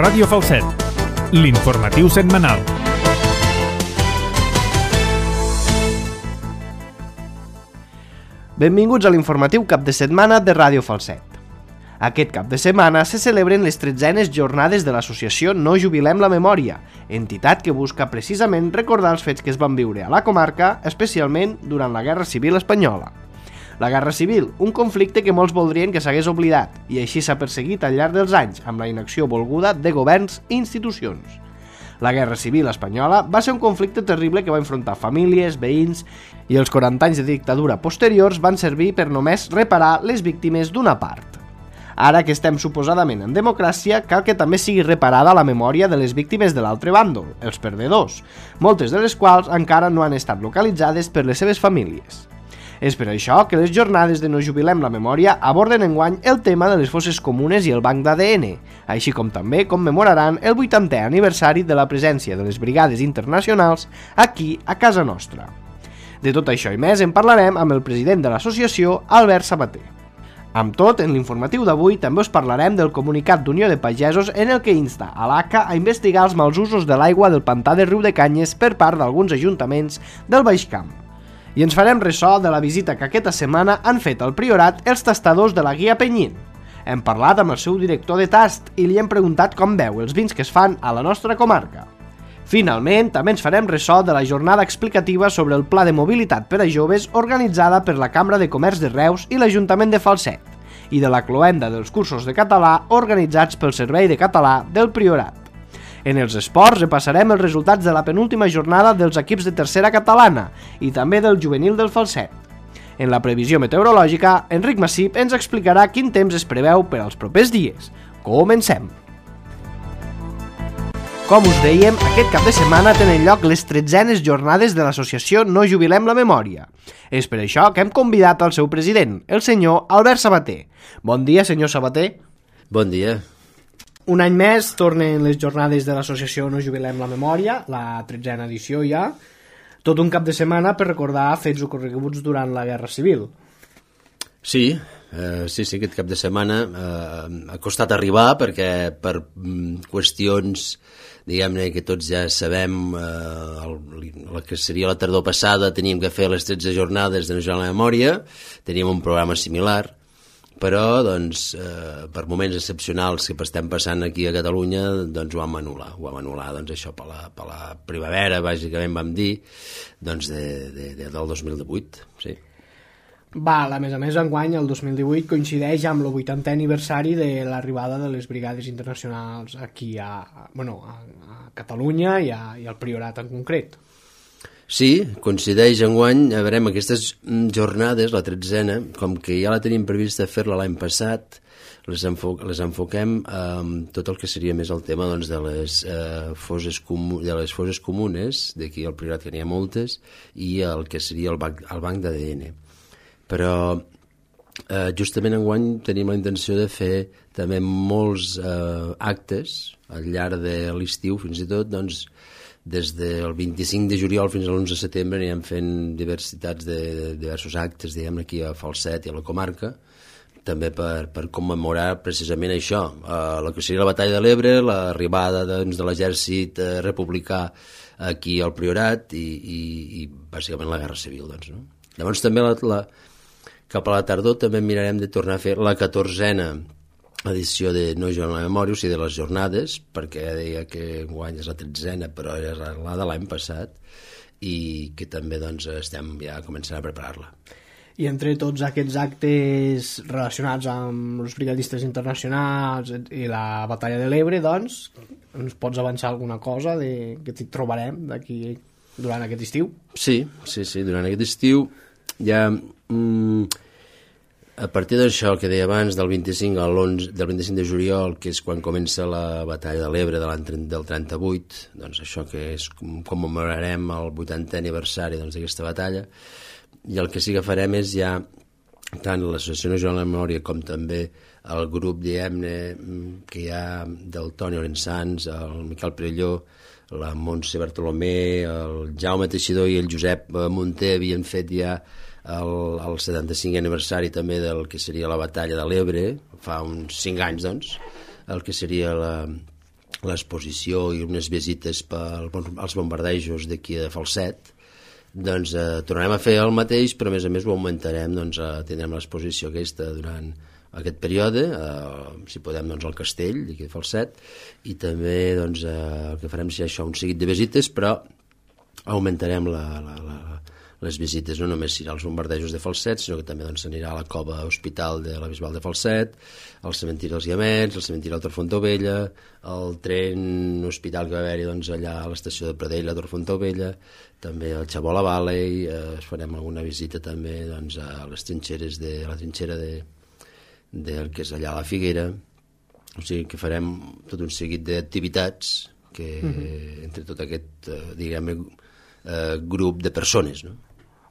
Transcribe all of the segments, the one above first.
Ràdio Falset, l'informatiu setmanal. Benvinguts a l'informatiu cap de setmana de Ràdio Falset. Aquest cap de setmana se celebren les 13enes jornades de l'associació No Jubilem la Memòria, entitat que busca precisament recordar els fets que es van viure a la comarca, especialment durant la Guerra Civil Espanyola. La Guerra Civil, un conflicte que molts voldrien que s'hagués oblidat, i així s'ha perseguit al llarg dels anys amb la inacció volguda de governs i institucions. La Guerra Civil Espanyola va ser un conflicte terrible que va enfrontar famílies, veïns, i els 40 anys de dictadura posteriors van servir per només reparar les víctimes d'una part. Ara que estem suposadament en democràcia, cal que també sigui reparada la memòria de les víctimes de l'altre bàndol, els perdedors, moltes de les quals encara no han estat localitzades per les seves famílies. És per això que les jornades de No Jubilem la Memòria aborden enguany el tema de les fosses comunes i el banc d'ADN, així com també commemoraran el 80è aniversari de la presència de les brigades internacionals aquí a casa nostra. De tot això i més en parlarem amb el president de l'associació, Albert Sabater. Amb tot, en l'informatiu d'avui també us parlarem del comunicat d'Unió de Pagesos en el que insta a l'ACA a investigar els mals usos de l'aigua del pantà de Riudecanyes per part d'alguns ajuntaments del Baix Camp. I ens farem ressò de la visita que aquesta setmana han fet al Priorat els tastadors de la Guia Penyín. Hem parlat amb el seu director de tast i li hem preguntat com veu els vins que es fan a la nostra comarca. Finalment, també ens farem ressò de la jornada explicativa sobre el Pla de Mobilitat per a Joves organitzada per la Cambra de Comerç de Reus i l'Ajuntament de Falset, i de la cloenda dels cursos de català organitzats pel Servei de Català del Priorat. En els esports repassarem els resultats de la penúltima jornada dels equips de tercera catalana i també del juvenil del Falset. En la previsió meteorològica, Enric Massip ens explicarà quin temps es preveu per als propers dies. Comencem! Com us dèiem, aquest cap de setmana tenen lloc les 13enes jornades de l'associació No Jubilem la Memòria. És per això que hem convidat al seu president, el senyor Albert Sabater. Bon dia, senyor Sabater. Bon dia. Un any més tornen les jornades de l'associació No Jubilem la Memòria, la 13a edició ja, tot un cap de setmana per recordar fets ocorreguts durant la Guerra Civil. Sí, aquest cap de setmana ha costat arribar perquè per qüestions, diguem-ne, que tots ja sabem, el que seria la tardor passada teníem que fer les 13 jornades de No Jubilem la Memòria, teníem un programa similar, però doncs, per moments excepcionals que estem passant aquí a Catalunya, doncs ho vam anul·lar doncs, això per la primavera, bàsicament vam dir, doncs del 2018, sí. A més, enguany, el 2018 coincideix amb el 80è aniversari de l'arribada de les brigades internacionals aquí a Catalunya i al Priorat en concret. Sí, coincideix enguany, a veure, aquestes jornades, la 13a, com que ja la tenim prevista fer-la l'any passat, les enfoquem amb tot el que seria més el tema doncs, de les fosses comunes, d'aquí al Priorat que n'hi ha moltes, i el que seria el banc d'ADN. Però justament enguany tenim la intenció de fer també molts actes al llarg de l'estiu, fins i tot, doncs, des del 25 de juliol fins a l'11 de setembre anirem fent diversos actes, diguem, aquí a Falset i a la comarca, també per commemorar precisament això, la que seria la Batalla de l'Ebre, l'arribada doncs, de l'exèrcit republicà aquí al Priorat i bàsicament la Guerra Civil. Doncs, no? Llavors també cap a la tardor també mirarem de tornar a fer la 14a edició de No Jubilem la Memòria, o sigui, de les jornades, perquè deia que guany és la 13a, però és la de l'any passat, i que també doncs, estem ja començant a preparar-la. I entre tots aquests actes relacionats amb els brigadistes internacionals i la Batalla de l'Ebre, doncs, ens pots avançar alguna cosa que t'hi trobarem d'aquí durant aquest estiu? Sí, durant aquest estiu ja... A partir d'això que deia abans, del 25 de juliol, que és quan comença la Batalla de l'Ebre del 38, doncs això que és commemorarem el 80è aniversari d'aquesta batalla, i el que sí que farem és ja, tant l'Associació No Jubilem la Memòria com també el grup, diguem-ne, que hi ha del Toni Orensans, el Miquel Perelló, la Montse Bartolomé, el Jaume Teixidor i el Josep Munter havien fet ja el 75è aniversari també del que seria la Batalla de l'Ebre, fa uns 5 anys, doncs, el que seria l'exposició i unes visites als bombardejos d'aquí de Falset, doncs tornarem a fer el mateix, però a més ho augmentarem, doncs tindrem l'exposició aquesta durant aquest període, si podem, doncs al castell d'aquí de Falset, i també doncs, el que farem serà això, un seguit de visites, però augmentarem les visites, no només s'anirà als bombardejos de Falset, sinó que també s'anirà a la cova hospital de la Bisbal de Falset, al cementiri dels Guiamets, al cementiri del Torfontovella, al tren hospital que va haver-hi allà a l'estació de Pradell, a Torfontovella, també al Chabola Valley, farem alguna visita també a les trinxeres la trinxera del que és allà a la Figuera, o sigui que farem tot un seguit d'activitats que entre tot aquest, grup de persones, no?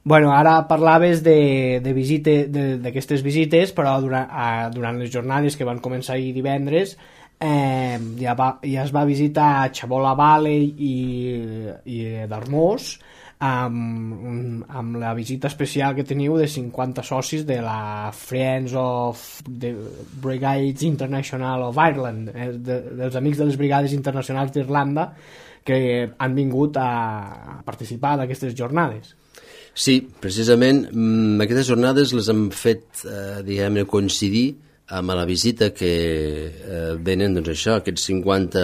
Bueno, ara parlaves d'aquestes visites, però durant les jornades que van començar ahir divendres ja es va visitar Chabola Valley i Darmós amb la visita especial que teniu de 50 socis de la Friends of the Brigades International of Ireland, dels amics de les Brigades Internacionals d'Irlanda, que han vingut a participar d'aquestes jornades. Sí, precisament aquestes jornades les hem fet coincidir amb la visita que venen aquests 50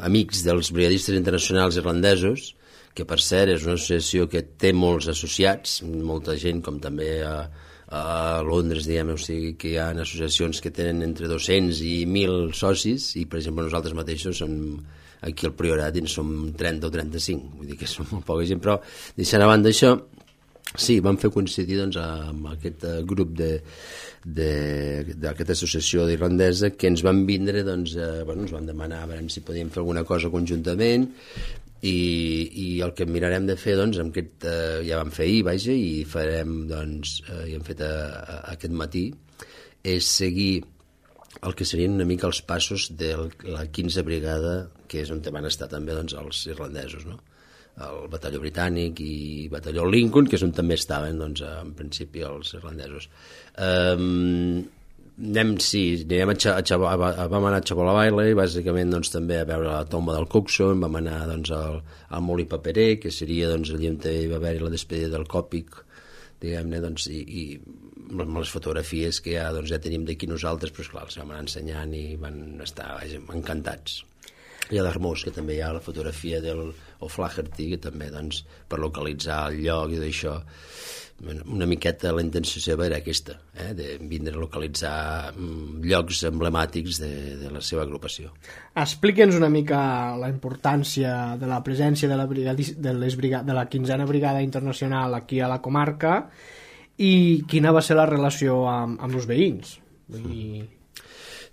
amics dels brigadistes internacionals irlandesos, que per cert és una associació que té molts associats, molta gent, com també a Londres, o sigui que hi ha associacions que tenen entre 200 i 1.000 socis, i per exemple nosaltres mateixos aquí al Priorat en som 30 o 35, vull dir que som molt poca gent, però deixant a banda això, sí, vam fer coincidir amb aquest grup d'aquesta associació irlandesa que ens van vindre, ens van demanar a veure si podíem fer alguna cosa conjuntament, i el que mirarem de fer amb aquest, ja vam fer ahir, i farem, i hem fet aquest matí, és seguir el que serien una mica els passos de la 15a brigada, que és on van estar també els irlandesos, no? El batalló britànic i batalló Lincoln, que és on també estaven en principi els irlandesos. Vam anar a Chabola Valley, bàsicament també a veure la tomba del Cookson, vam anar al Molí Paperer, que seria allà on hi va haver la despedida del Còpic, diguem-ne, i amb les fotografies que ja tenim d'aquí nosaltres, però esclar, els vam anar ensenyant i van estar encantats. I a Darmós, que també hi ha la fotografia del O'Flaherty, que també per localitzar el lloc i d'això, una miqueta la intenció seva era aquesta, de vindre a localitzar llocs emblemàtics de la seva agrupació. Explica'ns una mica la importància de la presència de la 15a Brigada Internacional aquí a la comarca i quina va ser la relació amb els veïns.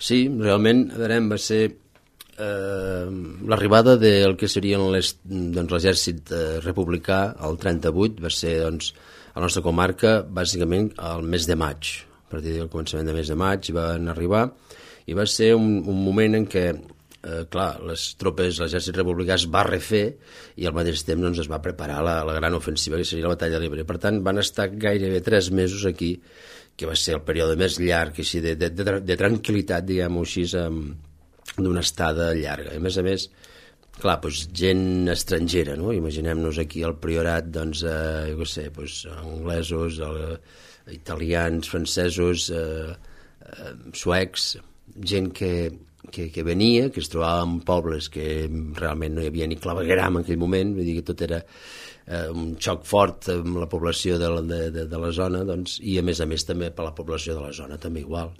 Sí, realment va ser l'arribada del que serien l'exèrcit republicà el 38, va ser a la nostra comarca bàsicament al mes de maig, a partir del començament del mes de maig van arribar, i va ser un moment en què les tropes, l'exèrcit republicà es va refer i al mateix temps es va preparar la gran ofensiva que seria la batalla de l'Ebre. Per tant, van estar gairebé 3 mesos aquí, que va ser el període més llarg així de tranquil·litat, diguem-ho així, d'una estada llarga. A més, clar, gent estrangera, no? Imaginem-nos aquí al Priorat, jo què sé, anglesos, italians, francesos, suecs, gent que venia, que es trobava en pobles que realment no hi havia ni clavegueram en aquell moment, vull dir que tot era un xoc fort amb la població de la zona, i a més també per la població de la zona també igual.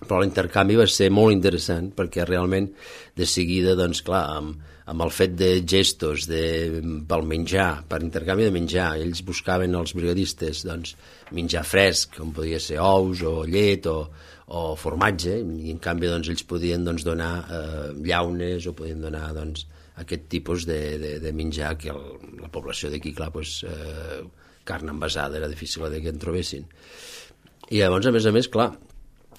Però l'intercanvi va ser molt interessant perquè realment de seguida, clar, amb el fet de gestos pel menjar, per intercanvi de menjar, ells buscaven els brigadistes menjar fresc, com podia ser ous o llet o formatge, i en canvi ells podien donar llaunes o podien donar aquest tipus de menjar que la població d'aquí, clar, carn envasada era difícil que en trobessin. I llavors, a més, clar,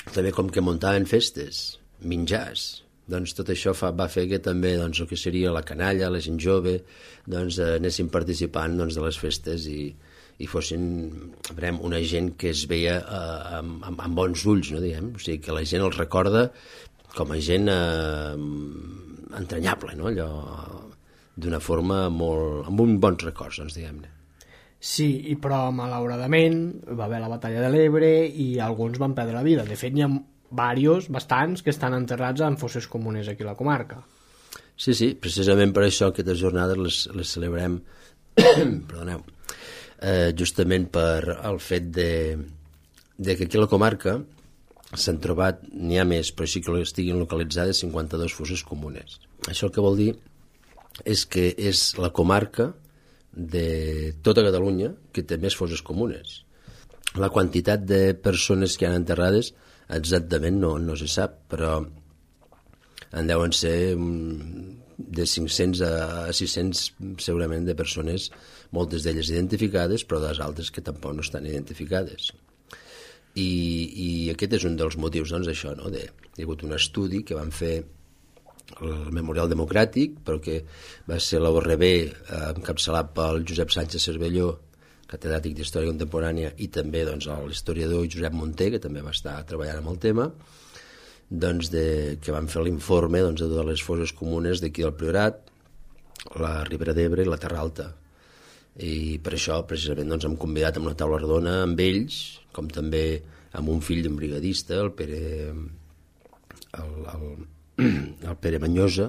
també com que muntaven festes, menjars, tot això va fer que també el que seria la canalla, la gent jove, anessin participant de les festes i fossin una gent que es veia amb bons ulls, no, diguem? O sigui, que la gent els recorda com a gent entranyable, no? Allò d'una forma molt... amb uns bons records, doncs, diguem-ne. Sí, però malauradament va haver la batalla de l'Ebre i alguns van perdre la vida. De fet, hi ha bastants que estan enterrats en fosses comunes aquí a la comarca. Sí, precisament per això aquestes jornades les celebrem perdoneu, justament per el fet de que aquí a la comarca s'han trobat, n'hi ha més, però sí que estiguin localitzades 52 fosses comunes. Això el que vol dir és que és la comarca de tota Catalunya que té més fosses comunes. La quantitat de persones que han enterrades exactament no se sap, però en deuen ser de 500 a 600 segurament de persones, moltes d'elles identificades, però les altres que tampoc no estan identificades. I aquest és un dels motius, doncs, d'això, no? Hi ha hagut un estudi que van fer el Memorial Democràtic, però que va ser la URB encapçalat pel Josep Sánchez Cervelló, catedràtic d'Història Contemporània, i també doncs, l'historiador Josep Munté, que també va estar treballant amb el tema, doncs, que van fer l'informe doncs, de totes les fosses comunes d'aquí del Priorat, la Ribera d'Ebre i la Terra Alta. I per això, precisament, doncs, hem convidat a una taula redona amb ells, com també amb un fill d'un brigadista, el Pere Manyosa,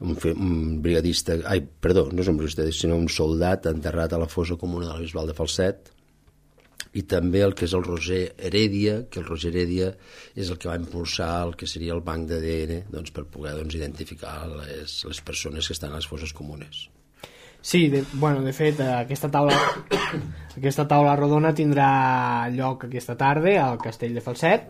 un brigadista, no és un brigadista, sinó un soldat enterrat a la fossa comuna de la Bisbal de Falset, i també el que és el Roger Heredia, que el Roger Heredia és el que va impulsar el que seria el banc d'ADN, doncs, per poder identificar les persones que estan a les fosses comunes. Sí, de fet, aquesta taula rodona tindrà lloc aquesta tarda al Castell de Falset.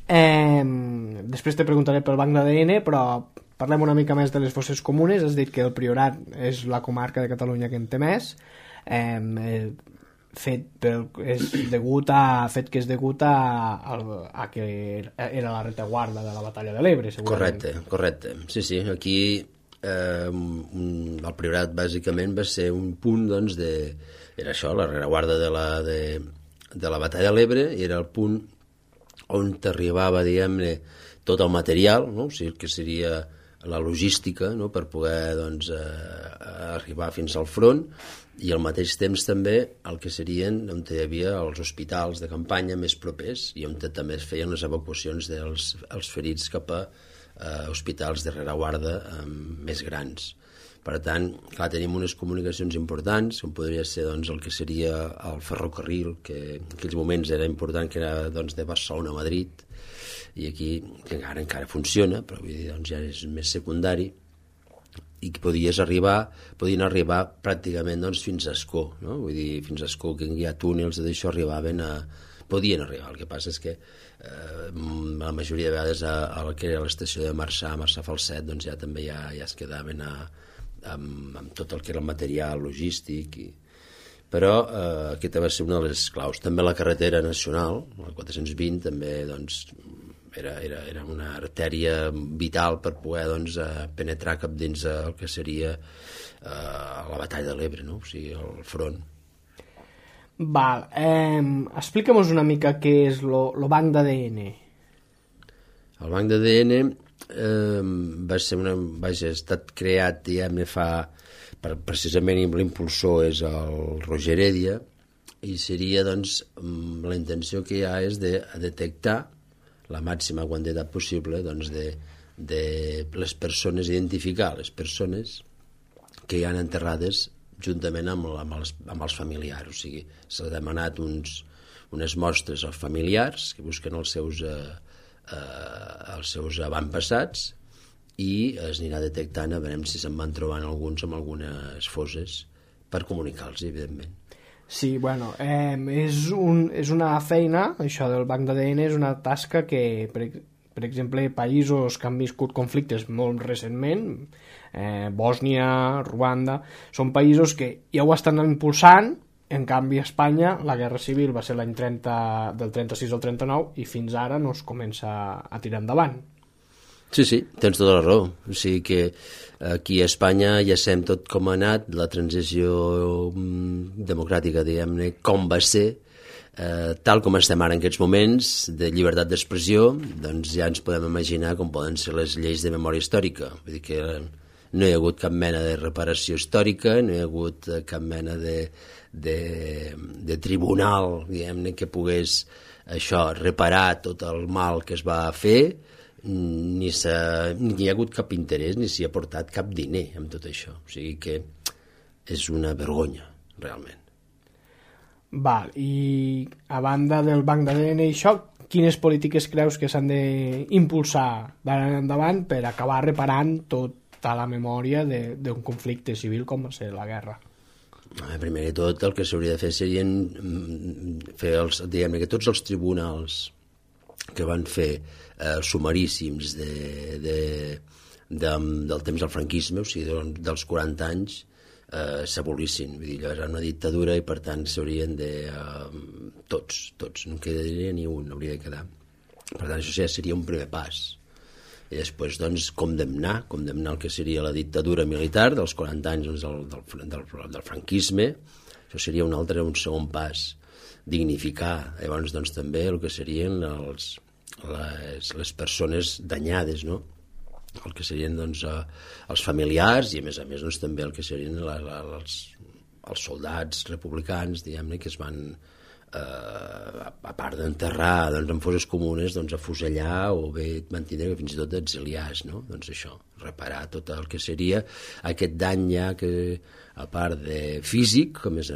Després te preguntaré pel banc d'ADN, però parlem una mica més de les fosses comunes. Has dit que el Priorat és la comarca de Catalunya que en té més, és degut a que era la retaguarda de la batalla de l'Ebre, segurament. Correcte. Sí, aquí el Priorat bàsicament va ser un punt, doncs, era això, la rereguarda de la batalla de l'Ebre, i era el punt on t'arribava, diguem-ne, tot el material, no? O sigui, que seria la logística, no? Per poder, doncs, arribar fins al front, i al mateix temps també el que serien on hi havia els hospitals de campanya més propers i on també es feien les evacuacions dels ferits cap a hospitals de rereguarda més grans. Per tant, clar, tenim unes comunicacions importants, com podria ser, doncs, el que seria el ferrocarril, que en aquells moments era important, que era, doncs, de Barcelona a Madrid, i aquí que encara funciona, però vull dir, doncs, ja és més secundari, i que podien arribar pràcticament, doncs, fins a Ascó, no? Vull dir, fins a Ascó, que hi ha túnels d'això, podien arribar. El que passa és que la majoria de vegades a la que era l'estació de Marçà Falset, doncs ja també ja es quedaven amb tot el que era el material logístic, però aquesta va ser una de les claus. També la carretera nacional, la 420, també, doncs, era una artèria vital per poder, doncs, penetrar cap dins el que seria la batalla de l'Ebre, no? O sigui, el front. Val, explica'm-nos una mica què és el banc d'ADN. El banc d'ADN ha estat creat, diguem-ne, precisament l'impulsor és el Roger Heredia, i seria, doncs, la intenció que hi ha és de detectar la màxima quantitat possible, doncs, de les persones, identificar les persones que hi han enterrades juntament amb els familiars. O sigui, s'ha demanat unes mostres als familiars que busquen els seus avantpassats, i es anirà detectant, a veure si se'n van trobant alguns amb algunes fosses per comunicar-los, evidentment. Sí, bueno, és una feina, això del banc d'ADN és una tasca que, per exemple, països que han viscut conflictes molt recentment, Bòsnia, Ruanda, són països que ja ho estan impulsant. En canvi, a Espanya la guerra civil va ser l'any 30, del 36 al 39, i fins ara no es comença a tirar endavant. Sí, tens tota la raó. O sigui que aquí a Espanya ja sabem tot com ha anat, la transició democràtica, diguem-ne, com va ser, tal com estem ara en aquests moments de llibertat d'expressió, doncs ja ens podem imaginar com poden ser les lleis de memòria històrica. Vull dir que no hi ha hagut cap mena de reparació històrica, no hi ha hagut cap mena de tribunal, diguem-ne, que pogués reparar tot el mal que es va fer, ni hi ha hagut cap interès, ni s'hi ha portat cap diner amb tot això. O sigui que és una vergonya, realment. Val, i a banda del banc d'ADN i això, quines polítiques creus que s'han d'impulsar d'ara en endavant per acabar reparant tota la memòria d'un conflicte civil com va ser la guerra? Primer de tot, el que s'hauria de fer serien fer diguem-ne que tots els tribunals que van fer sumaríssims del temps del franquisme, o sigui, dels 40 anys, s'abolissin. Vull dir, allò era una dictadura i, per tant, s'haurien de... Tots, no en quedaria ni un, hauria de quedar. Per tant, això ja seria un primer pas. I després, doncs, condemnar el que seria la dictadura militar dels 40 anys del franquisme. Això seria un segon pas. Dignificar, llavors, doncs, també el que serien les persones danyades, no? El que serien, doncs, els familiars i, a més, doncs, també el que serien els soldats republicans, diguem-ne, que es van, a part d'enterrar, doncs, en fosses comunes, doncs, afusellar o bé mantindre fins i tot exiliars, no? Doncs això, reparar tot el que seria aquest dany ja que, a part de físic, a més,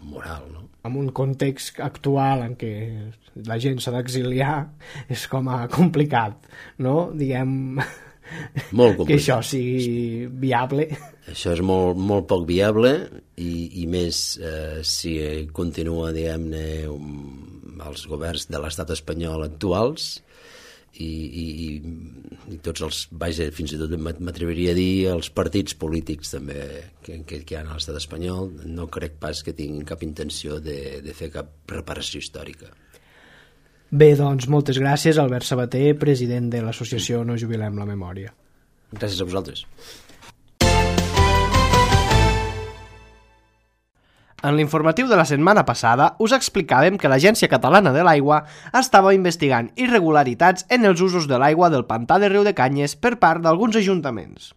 moral, no? En un context actual en què la gent s'ha d'exiliar és com a complicat, no? Diguem molt complicat. Que això sigui viable. Això és molt, molt poc viable i més si continua, diguem-ne, els governs de l'estat espanyol actuals i tots els, vaja, fins i tot m'atreviria a dir els partits polítics també que hi ha a l'estat espanyol, no crec pas que tinguin cap intenció de fer cap reparació històrica. Bé, doncs, moltes gràcies, Albert Sabater, president de l'associació No Jubilem la Memòria. Gràcies a vosaltres. En l'informatiu de la setmana passada us explicàvem que l'Agència Catalana de l'Aigua estava investigant irregularitats en els usos de l'aigua del pantà de Riudecanyes per part d'alguns ajuntaments.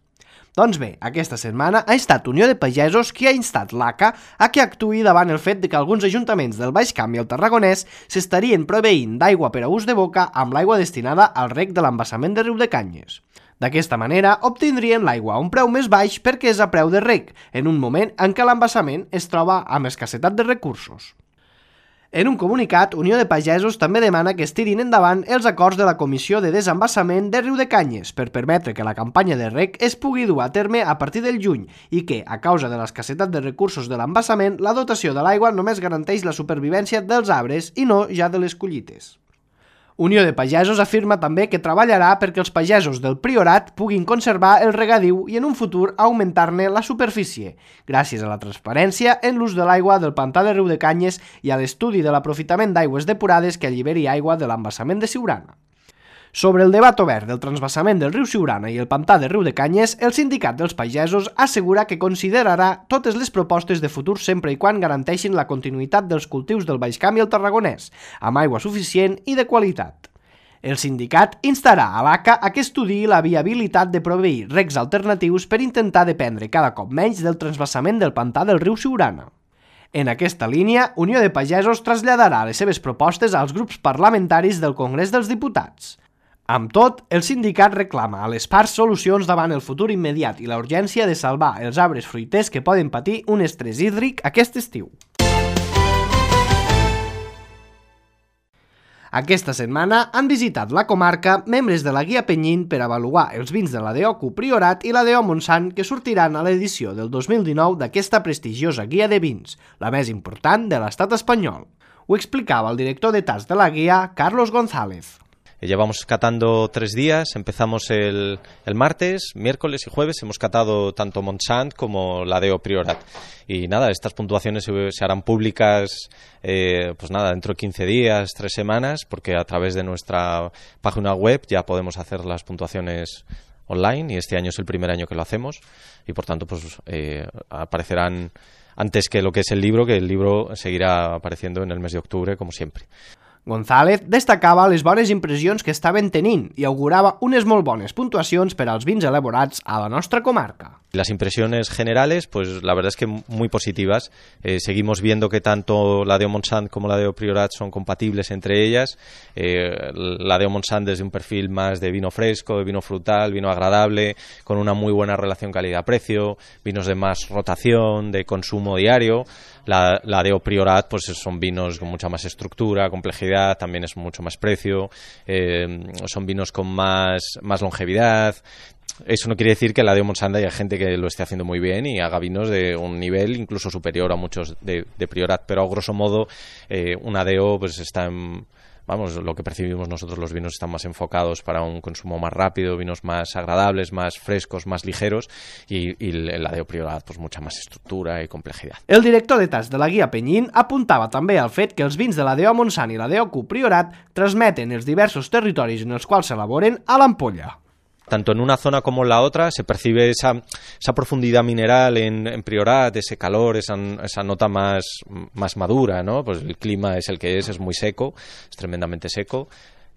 Doncs bé, aquesta setmana ha estat Unió de Pagesos qui ha instat l'ACA a que actuï davant el fet de que alguns ajuntaments del Baix Camp i el Tarragonès s'estarien proveint d'aigua per a ús de boca amb l'aigua destinada al reg de l'embassament de Riudecanyes. D'aquesta manera, obtindrien l'aigua a un preu més baix perquè és a preu de reg, en un moment en què l'embassament es troba amb escassetat de recursos. En un comunicat, Unió de Pagesos també demana que es tirin endavant els acords de la Comissió de Desembassament de Riudecanyes per permetre que la campanya de reg es pugui dur a terme a partir del juny i que, a causa de l'escassetat de recursos de l'embassament, la dotació de l'aigua només garanteix la supervivència dels arbres i no ja de les collites. Unió de Pagesos afirma també que treballarà perquè els pagesos del Priorat puguin conservar el regadiu i en un futur augmentar-ne la superfície, gràcies a la transparència en l'ús de l'aigua del pantà de Riudecanyes i a l'estudi de l'aprofitament d'aigües depurades que alliberi aigua de l'embassament de Siurana. Sobre el debat obert del transvassament del riu Siurana i el pantà de Riudecanyes, el Sindicat dels Pagesos assegura que considerarà totes les propostes de futur sempre i quan garanteixin la continuïtat dels cultius del Baix Camp i el Tarragonès, amb aigua suficient i de qualitat. El sindicat instarà a l'ACA a que estudiï la viabilitat de proveir regs alternatius per intentar dependre cada cop menys del transvassament del pantà del riu Siurana. En aquesta línia, Unió de Pagesos traslladarà les seves propostes als grups parlamentaris del Congrés dels Diputats. Amb tot, el sindicat reclama a les parts solucions davant el futur immediat i la urgència de salvar els arbres fruiters que poden patir un estrès hídric aquest estiu. Aquesta setmana han visitat la comarca membres de la Guia Penyín per avaluar els vins de la DEOCU Priorat i la DEO Montsant que sortiran a l'edició del 2019 d'aquesta prestigiosa guia de vins, la més important de l'estat espanyol. Ho explicava el director de TAS de la guia, Carlos González. Llevamos catando 3 días, empezamos el martes, miércoles y jueves, hemos catado tanto Montsant como la DEO Priorat. Y nada, estas puntuaciones se harán públicas pues nada, dentro de 15 días, 3 semanas, porque a través de nuestra página web ya podemos hacer las puntuaciones online y este año es el primer año que lo hacemos y por tanto pues aparecerán antes que lo que es el libro, que el libro seguirá apareciendo en el mes de octubre, como siempre. González destacava les bones impressions que estaven tenint i augurava unes molt bones puntuacions per als vins elaborats a la nostra comarca. Las impresiones generales, pues la verdad es que muy positivas. Seguimos viendo que tanto la de Montsant como la de Priorat son compatibles entre ellas. La de Montsant desde un perfil más de vino fresco, de vino frutal, vino agradable, con una muy buena relación calidad-precio, vinos de más rotación, de consumo diario. La de Priorat pues son vinos con mucha más estructura, complejidad, también es mucho más precio, son vinos con más longevidad. Eso no quiere decir que la de Montsant haya gente que lo esté haciendo muy bien y haga vinos de un nivel incluso superior a muchos de Priorat, pero a grosso modo una DO pues está en... Vamos, lo que percibimos nosotros, los vinos están más enfocados para un consumo más rápido, vinos más agradables, más frescos, más ligeros, y la de Priorat, pues mucha más estructura i complejidad. El director de tas de la guia Penyín apuntava també al fet que els vins de la DO Montsant i la DO Priorat transmeten els diversos territoris en els quals s'elaboren a l'ampolla. Tanto en una zona como en la otra se percibe esa profundidad mineral en Priorat, ese calor, esa nota más madura, ¿no? Pues el clima es el que es muy seco, es tremendamente seco,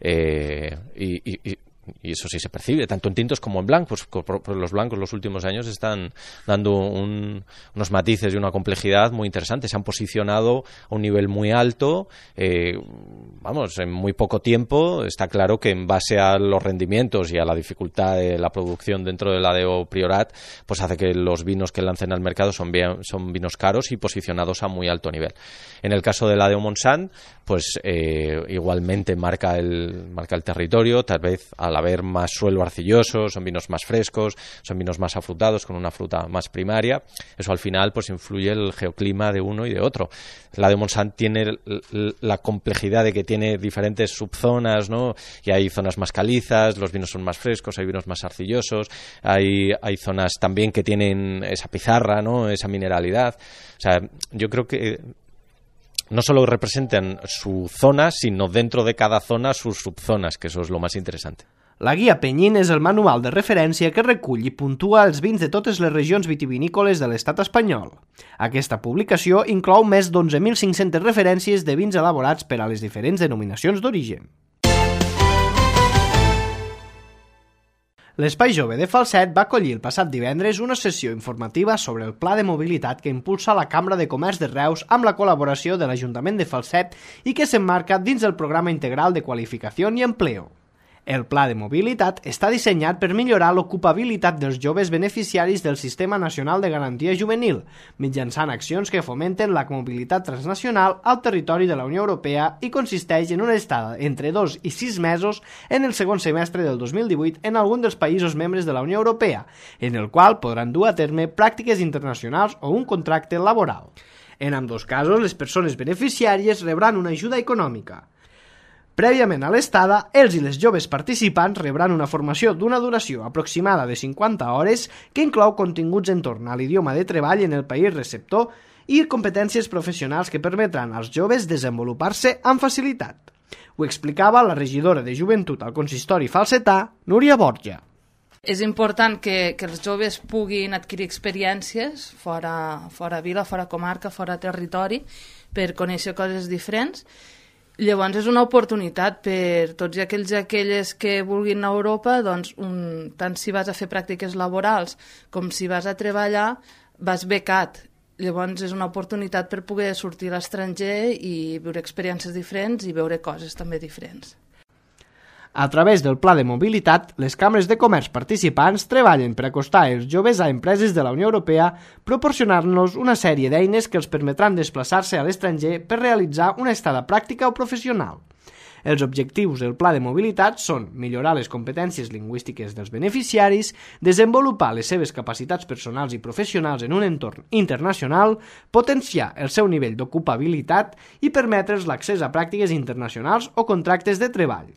y eso sí se percibe, tanto en tintos como en blancos. Pues los blancos los últimos años están dando unos matices y una complejidad muy interesante. Se han posicionado a un nivel muy alto, en muy poco tiempo. Está claro que en base a los rendimientos y a la dificultad de la producción dentro de la DO Priorat, pues hace que los vinos que lancen al mercado son vinos caros y posicionados a muy alto nivel. En el caso de la DO Montsant, pues igualmente marca el territorio, tal vez al haber más suelo arcilloso, son vinos más frescos, son vinos más afrutados, con una fruta más primaria. Eso al final pues influye el geoclima de uno y de otro. La de Montsant tiene la complejidad de que tiene diferentes subzonas, ¿no? Y hay zonas más calizas, los vinos son más frescos, hay vinos más arcillosos, hay zonas también que tienen esa pizarra, ¿no? Esa mineralidad. O sea, yo creo que no solo representan su zona, sino dentro de cada zona sus subzonas, que eso es lo más interesante. La guia Penyín és el manual de referència que recull i puntua els vins de totes les regions vitivinícoles de l'estat espanyol. Aquesta publicació inclou més d'11.500 referències de vins elaborats per a les diferents denominacions d'origen. L'Espai Jove de Falset va acollir el passat divendres una sessió informativa sobre el pla de mobilitat que impulsa la Cambra de Comerç de Reus amb la col·laboració de l'Ajuntament de Falset i que s'emmarca dins del Programa Integral de Qualificació i Empleo. El pla de mobilitat està dissenyat per millorar l'ocupabilitat dels joves beneficiaris del Sistema Nacional de Garantia Juvenil, mitjançant accions que fomenten la mobilitat transnacional al territori de la Unió Europea i consisteix en una estada entre 2 i 6 mesos en el segon semestre del 2018 en algun dels països membres de la Unió Europea, en el qual podran dur a terme pràctiques internacionals o un contracte laboral. En ambdós casos, les persones beneficiàries rebran una ajuda econòmica. Prèviament a l'estada, els i les joves participants rebran una formació d'una duració aproximada de 50 hores que inclou continguts entorn a l'idioma de treball en el país receptor i competències professionals que permetran als joves desenvolupar-se amb facilitat. Ho explicava la regidora de Joventut al consistori falsetà, Núria Borja. És important que els joves puguin adquirir experiències fora vila, fora comarca, fora territori, per conèixer coses diferents. Llavors és una oportunitat per tots i aquells i aquelles que vulguin anar a Europa, doncs, tant si vas a fer pràctiques laborals com si vas a treballar, vas becat. Llavors és una oportunitat per poder sortir a l'estranger i viure experiències diferents i veure coses també diferents. A través del pla de mobilitat, les cambres de comerç participants treballen per acostar els joves a empreses de la Unió Europea, proporcionant-los una sèrie d'eines que els permetran desplaçar-se a l'estranger per realitzar una estada pràctica o professional. Els objectius del pla de mobilitat són millorar les competències lingüístiques dels beneficiaris, desenvolupar les seves capacitats personals i professionals en un entorn internacional, potenciar el seu nivell d'ocupabilitat i permetre'ls l'accés a pràctiques internacionals o contractes de treball.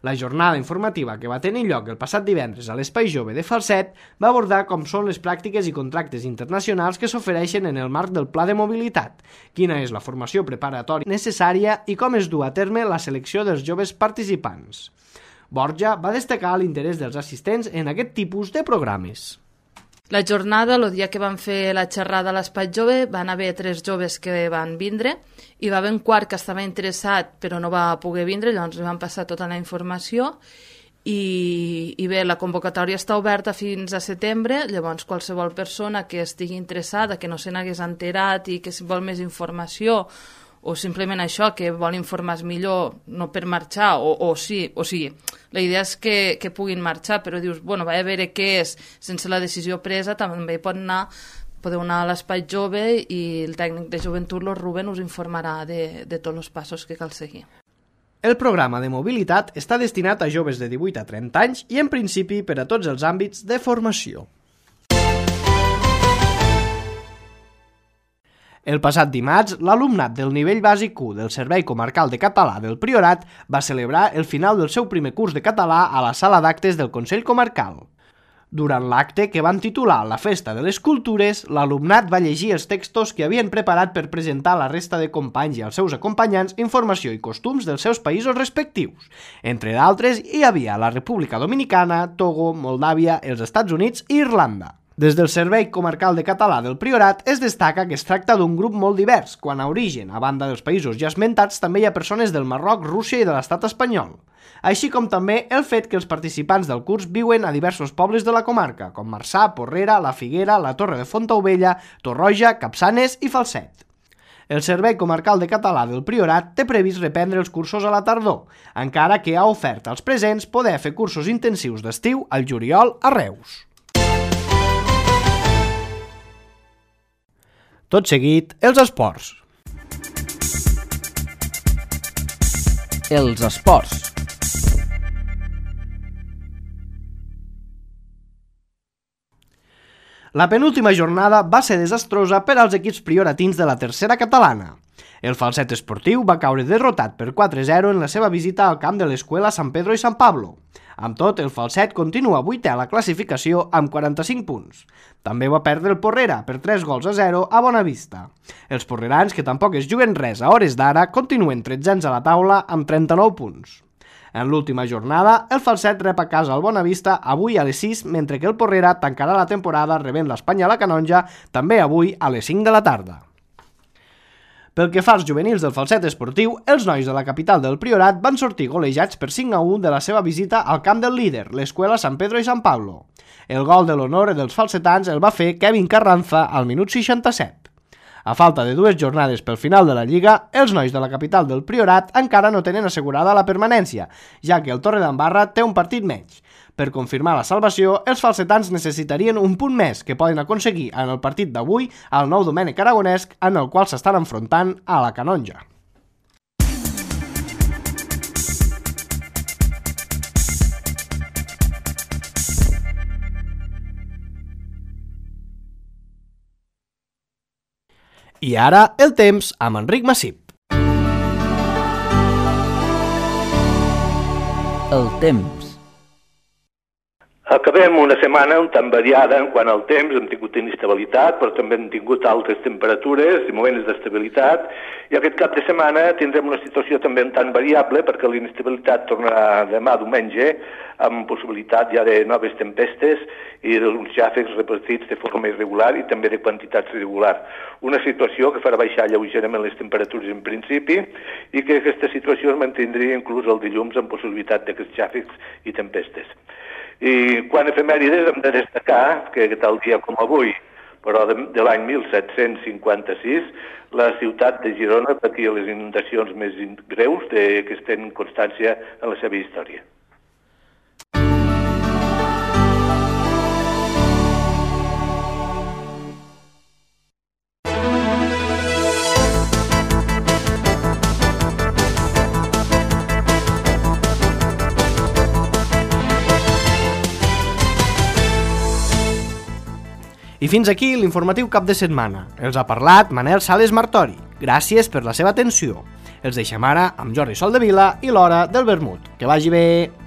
La jornada informativa que va tenir lloc el passat divendres a l'Espai Jove de Falset va abordar com són les pràctiques i contractes internacionals que s'ofereixen en el marc del pla de mobilitat, quina és la formació preparatòria necessària i com es du a terme la selecció dels joves participants. Borja va destacar l'interès dels assistents en aquest tipus de programes. La jornada, el dia que van fer la xerrada a l'Espai Jove, van haver 3 joves que van vindre, i va haver un quart que estava interessat però no va poder vindre, llavors li van passar tota la informació, i bé, la convocatòria està oberta fins a setembre, llavors qualsevol persona que estigui interessada, que no se n'hagués enterat i que si vol més informació o simplement això, que vol informar podre no per marxar, o sigui, la idea és que puguin marxar, però dius, bueno, vaig a veure què és sense la decisió presa, també podeu anar a l'Espai Jove i el tècnic de joventut, el Ruben, us informarà de tots els passos que cal seguir. El programa de mobilitat està destinat a joves de 18 a 30 anys i, en principi, per a tots els àmbits de formació. El passat dimarts, l'alumnat del nivell bàsic 1 del Servei Comarcal de Català del Priorat va celebrar el final del seu primer curs de català a la sala d'actes del Consell Comarcal. Durant l'acte, que van titular La Festa de les Cultures, l'alumnat va llegir els textos que havien preparat per presentar a la resta de companys i als seus acompanyants informació i costums dels seus països respectius. Entre d'altres, hi havia la República Dominicana, Togo, Moldàvia, els Estats Units i Irlanda. Des del Servei Comarcal de Català del Priorat es destaca que es tracta d'un grup molt divers, quan a origen, a banda dels països ja esmentats, també hi ha persones del Marroc, Rússia i de l'estat espanyol. Així com també el fet que els participants del curs viuen a diversos pobles de la comarca, com Marçà, Porrera, La Figuera, la Torre de Fontaubella, Torroja, Capçanes i Falset. El Servei Comarcal de Català del Priorat té previst reprendre els cursos a la tardor, encara que ha ofert als presents poder fer cursos intensius d'estiu al juliol a Reus. Tot seguit, els esports. Els esports. La penúltima jornada va ser desastrosa per als equips prioratins de la tercera catalana. El Falset Esportiu va caure derrotat per 4-0 en la seva visita al camp de l'Escuela San Pedro i San Pablo. Amb tot, el Falset continua 8è a la classificació amb 45 punts. També va perdre el Porrera per 3-0 a Bonavista. Els porrerans, que tampoc es juguen res a hores d'ara, continuen 13 a la taula amb 39 punts. En l'última jornada, el Falset rep a casa el Bonavista avui a les 6, mentre que el Porrera tancarà la temporada rebent l'Espanya a la Canonja també avui a les 5 de la tarda. Pel que fa als juvenils del Falset Esportiu, els nois de la capital del Priorat van sortir golejats per 5-1 de la seva visita al camp del líder, l'Escuela San Pedro i San Pablo. El gol de l'honor dels falsetans el va fer Kevin Carranza al minut 67. A falta de 2 jornades pel final de la Lliga, els nois de la capital del Priorat encara no tenen assegurada la permanència, ja que el Torredembarra té un partit menys. Per confirmar la salvació, els falsetans necessitarien un punt més que poden aconseguir en el partit d'avui al Nou Domènec Aragonesc, en el qual s'estan enfrontant a la Canonja. I ara, el temps amb Enric Massip. El temps. Acabem una setmana un tant variada en quant al temps, hem tingut inestabilitat, però també hem tingut altes temperatures i moments d'estabilitat, i aquest cap de setmana tindrem una situació també un tant variable, perquè l'inestabilitat tornarà demà diumenge, amb possibilitat ja de noves tempestes i d'uns xàfecs repartits de forma irregular i també de quantitats irregular. Una situació que farà baixar lleugerament les temperatures en principi i que aquesta situació es mantindria inclús el dilluns amb possibilitat d'aquests xàfecs i tempestes. I quan efemèrides hem de destacar que tal dia com avui, però de l'any 1756, la ciutat de Girona patia les inundacions més greus que es tenen constància en la seva història. I fins aquí l'informatiu cap de setmana. Els ha parlat Manel Sales Martori. Gràcies per la seva atenció. Els deixem ara amb Jordi Soldevila i l'Hora del Vermut. Que vagi bé!